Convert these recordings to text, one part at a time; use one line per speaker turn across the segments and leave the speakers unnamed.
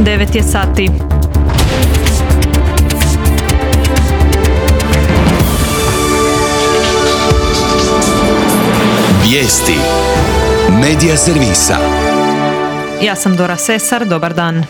9 je sati.
Vijesti. Medija servisa.
Ja sam Dora Sesar, dobar dan.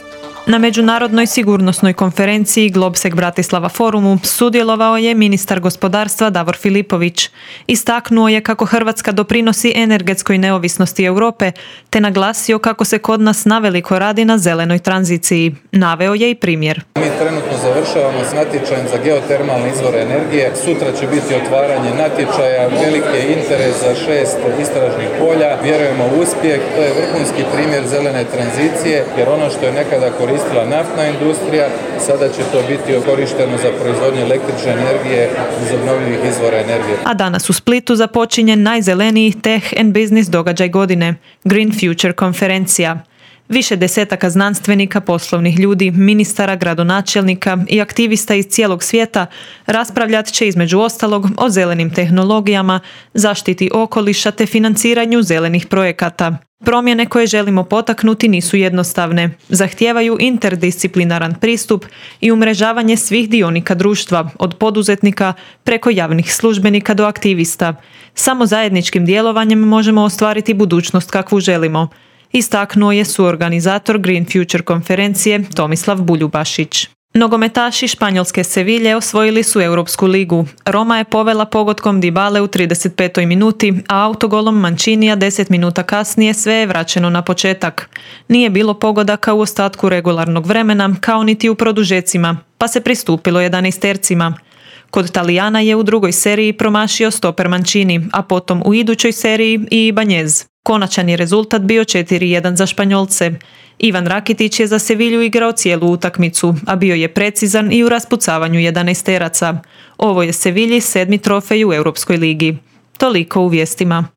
Na Međunarodnoj sigurnosnoj konferenciji Globsec Bratislava forumu sudjelovao je ministar gospodarstva Davor Filipović. Istaknuo je kako Hrvatska doprinosi energetskoj neovisnosti Europe, te naglasio kako se kod nas naveliko radi na zelenoj tranziciji. Naveo je i primjer.
Mi trenutno završavamo s natječajem za geotermalne izvore energije. Sutra će biti otvaranje natječaja, veliki je interes za 6 istražnih polja. Vjerujemo u uspjeh, to je vrhunski primjer zelene tranzicije, jer ono što je nekada koristila naftna industrija, sada će to biti korišteno za proizvodnju električne energije iz obnovljivih izvora energije.
A danas u Splitu započinje najzeleniji Tech and Business događaj godine, Green Future konferencija. Više desetaka znanstvenika, poslovnih ljudi, ministara, gradonačelnika i aktivista iz cijelog svijeta raspravljat će između ostalog o zelenim tehnologijama, zaštiti okoliša te financiranju zelenih projekata. Promjene koje želimo potaknuti nisu jednostavne, zahtijevaju interdisciplinaran pristup i umrežavanje svih dionika društva, od poduzetnika preko javnih službenika do aktivista. Samo zajedničkim djelovanjem možemo ostvariti budućnost kakvu želimo, istaknuo je suorganizator Green Future konferencije Tomislav Buljubašić. Nogometaši španjolske Sevilje osvojili su Europsku ligu. Roma je povela pogodkom Dybale u 35. minuti, a autogolom Mancinija 10 minuta kasnije sve je vraćeno na početak. Nije bilo pogodaka u ostatku regularnog vremena, kao niti u produžecima, pa se pristupilo 11-tercima. Kod Talijana je u drugoj seriji promašio stoper Mancini, a potom u idućoj seriji i Ibanez. Konačan je rezultat bio 4:1 za Španjolce. Ivan Rakitić je za Sevilju igrao cijelu utakmicu, a bio je precizan i u raspucavanju 11-teraca. Ovo je Sevilji 7. trofej u Europskoj ligi. Toliko u vijestima.